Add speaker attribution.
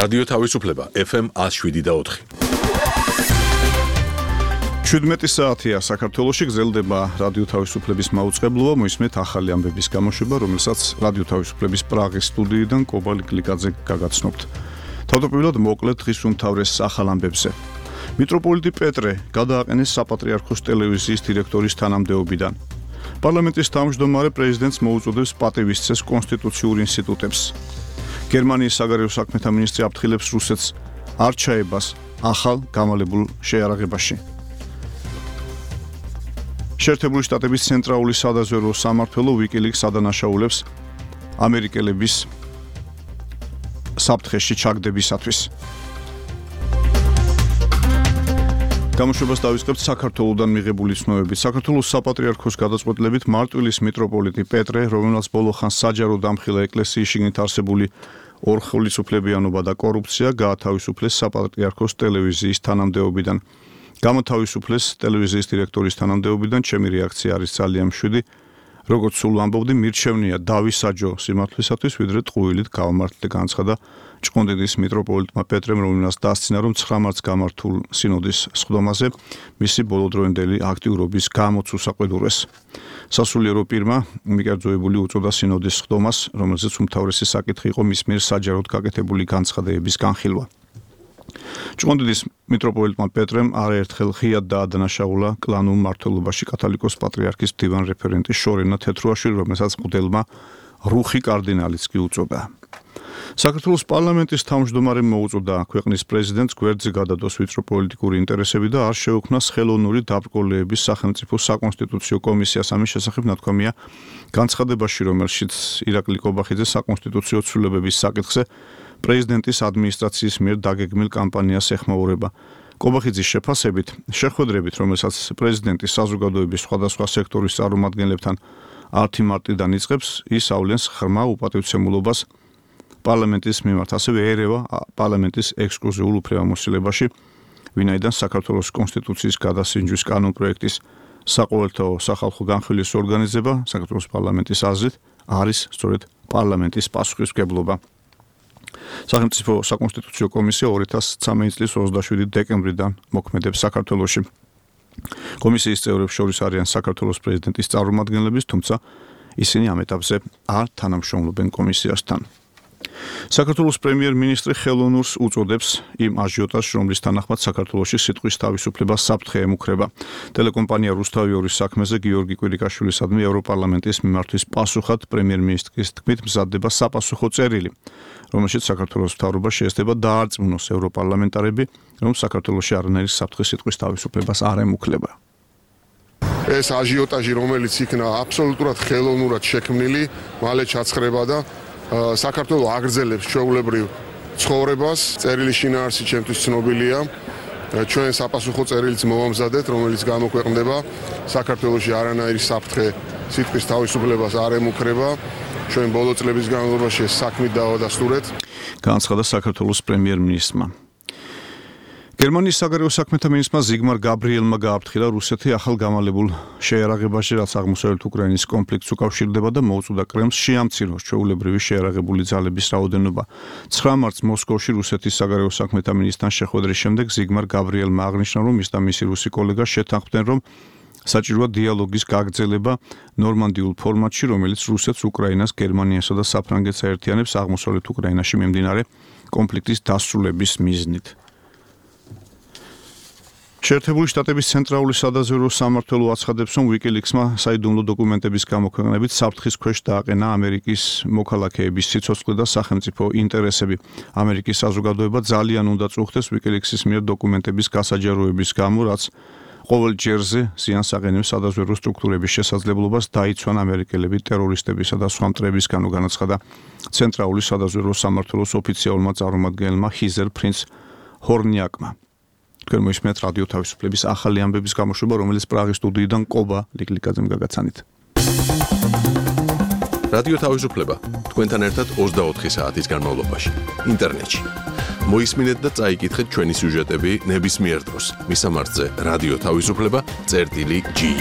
Speaker 1: რადიო თავისუფლება FM 107.4.
Speaker 2: 17 საათია საქართველოში გრძელდება რადიო თავისუფლების მაუწყებლობა, მოისმენთ ახალი ამბების გამოშვება, რომელსაც რადიო თავისუფლების პრაღის სტუდიიდან კობა ლიკლიკაძე გაგაცნობთ. თავდაპირველად მოკლედ დღის უმთავრეს ახალ ამბებზე. მიტროპოლიტი პეტრე გადააყენეს საპატრიარქოს ტელევიზიის დირექტორის თანამდებობიდან. პარლამენტის თავმჯდომარე პრეზიდენტს მოუწოდებს პატივისცეს კონსტიტუციურ ინსტიტუტებს. გერმანიის საგარეო საქმეთა მინისტრი აფრთხილებს რუსეთს არ ჩაებას ახალ გამალებულ შეიარაღებაში. შეერთებული შტატების ცენტრალური სადაზვერვო სამმართველო WikiLeaks ადანაშაულებს ამერიკელების საფრთხეში ჩაგდებისათვის. გამოშვებას დავიწყებთ საქართველოსდან მიღებული ცნობებით. საქართველოს საპატრიარქოს გადაწყვეტილებით მარტვილის მიტროპოლიტი პეტრე, რომელსაც ბოლო ხანს საჯარო დამხილა ეკლესიის შიგნით არსებული ორხელისუფლებიანობა და კორუფცია, გაათავისუფლეს საპატრიარქოს ტელევიზიის თანამდებობიდან. გამოთავისუფლეს ტელევიზიის დირექტორის თანამდებობიდან, ჩემი რეაქცია არის ძალიან მშვიდი. როგორც სულ ვამბობდი, მირჩევნია დავისაჯო სიმართლისათვის, ვიდრე ტყუილით გავამართლე, განცხადა ჭყონდიდის მიტროპოლიტმა პეტრემ, რომელსაც დასცინა, რომ 9 მარტს გამართულ სინოდის სხდომაზე მისი ბოლოდროინდელი აქტიურობის გამოც უსაყვედურეს. სასულიერო პირმა მიკერძოებული უწოდა სინოდის სხდომას, რომელზეც უმთავრესი საკითხი იყო მის მიერ საჯაროდ გაკეთებული განცხადებების განხილვა. ჭყონდიდის მიტროპოლიტმა პეტრემ არაერთხელ ღიად დაადანაშაულა კლანურ მმართველობაში კათოლიკოს პატრიარქის მდივან რეფერენტი შორენა თეთრუაშვილი, რომელსაც მღვდელმა რუხი კარდინალიც კი უწოდა. საქართველოს პარლამენტის თავმჯდომარემ მოუწოდა ქვეყნის პრეზიდენტს გვერდზე გადადოს ვიწრო პოლიტიკური ინტერესები და არ შეუქმნას ხელოვნური დაბრკოლების სახელმწიფო საკონსტიტუციო კომისიას. ამის შესახებ ნათქვამია განცხადებაში, რომელშიც ირაკლი კობახიძე საკონსტიტუციო ცვლილებების საკითხზე პრეზიდენტის ადმინისტრაციის მიერ დაგეგმილ კამპანიას ეხმაურება. კობახიძის შეფასებით, შეხვედრებით, რომელსაც პრეზიდენტი საზოგადოების სხვადასხვა სექტორის წარმომადგენლებთან 10 მარტიდან იწყებს, ის ავლენს ღრმა უპატივცემულობას პარლამენტის მიმართ, ასევე ერევა პარლამენტის ექსკლუზიურ უფლებამოსილებაში, ვინაიდან საქართველოს კონსტიტუციის გადასინჯვის კანონპროექტის საყოველთაო სახალხო განხილვის ორგანიზება საქართველოს პარლამენტის აზრით არის სწორედ პარლამენტის პასუხისმგებლობა. სახელმწიფო საკონსტიტუციო კომისია 2013 წლის 27 დეკემბრიდან მოქმედებს საქართველოში. კომისიის წევრებს შორის არიან საქართველოს პრეზიდენტის წარმომადგენლები, თუმცა ისინი ამ ეტაპზე არ თანამშრომლობენ კომისიასთან. საქართველოს პრემიერ-მინისტრი ხელოვნურს უწოდებს იმ აჟიოტაჟს, რომლის თანახმად საქართველოში სიტყვის თავისუფლება საფრთხე ემუქრება. ტელეკომპანია რუსთავი 2-ის საქმეზე გიორგი კვირიკაშვილისადმი ევროპარლამენტის მიმართვის პასუხად პრემიერ-მინისტრის თქმით მზადდება sapasukho წერილი, რომელშიც საქართველოს მთავრობა შეესწება დაარწმუნოს ევროპარლამენტარები, რომ საქართველოში არანაირი საფრთხე სიტყვის თავისუფლებას არ ემუქრება.
Speaker 3: ეს აჟიოტაჟი, რომელიც იქნა აბსოლუტურად ხელოვნურად შექმნილი, მალე ჩაცხრება და საქართველოს აგრძელებს ჩვეულებრივ ცხოვრებას. წერილი შინაარსი ჩემთვის ცნობილია. ჩვენ საპასუხო წერილიც მოვამზადეთ, რომელიც გამოქვეყნდება. საქართველოში არანაირი საფრთხე სიტყვის თავისუფლებას არ ემუქრება. ჩვენ ბოლო წლების განმავლობაში საქმით დავადასტურეთ.
Speaker 2: განცხადა საქართველოს პრემიერ-მინისტრმა. გერმანიის საგარეო საქმეთა მინისტრმა ზიგმარ გაბრიელმა გააფრთხილა რუსეთი ახალ გამალებულ შეიარაღებაში, რაც აღმოსავლეთ უკრაინის კონფლიქტს უკავშირდება და მოუწოდა კრემლს შეამციროს ჩვეულებრივი შეიარაღებული ძალების რაოდენობა. 9 მარტს მოსკოვში რუსეთის საგარეო საქმეთა მინისტრთან შეხვედრის შემდეგ ზიგმარ გაბრიელმა აღნიშნა, რომ ის და მისი რუსი კოლეგა შეთანხმდნენ, რომ საჭიროა დიალოგის გაგრძელება ნორმანდიულ ფორმატში, რომელიც რუსეთს, უკრაინას, გერმანიასა და საფრანგეთს აერთიანებს აღმოსავლეთ უკრაინაში მიმდინარე კონფლიქტის დასრულების მიზნით. შეერთებული შტატების ცენტრალური სადაზვერვო სამმართველო აცხადებს, რომ WikiLeaks-მა საიდუმლო დოკუმენტების გამოქვეყნებით საფრთხის ქვეშ დააყენა ამერიკის მოქალაქეების სიცოცხლე და სახელმწიფო ინტერესები. ამერიკის საზოგადოება ძალიან უნდა წუხდეს WikiLeaks-ის მიერ დოკუმენტების გასაჯაროების გამო, რაც ყოველ ჯერზე ზიანს აყენებს სადაზვერვო სტრუქტურების შესაძლებლობას დაიცვან ამერიკელები ტერორისტებისა და სხვა მტრებისგან, განაცხადა ცენტრალური სადაზვერვო სამმართველოს ოფიციალურმა წარმომადგენელმა ჰიზერ პრინც ჰორნიაკმა. თქვენ მოისმენთ რადიო თავისუფლების ახალი ამბების გამოშვება, რომელიც პრაღის სტუდიიდან კობა ლიკლიკაძემ გაგაცანით.
Speaker 1: რადიო თავისუფლება თქვენთან ერთად 24 საათის განმავლობაში ინტერნეტში. მოისმინეთ და წაიკითხეთ ჩვენი სიუჟეტები ნებისმიერ დროს. მისამართზე რადიო თავისუფლება.gi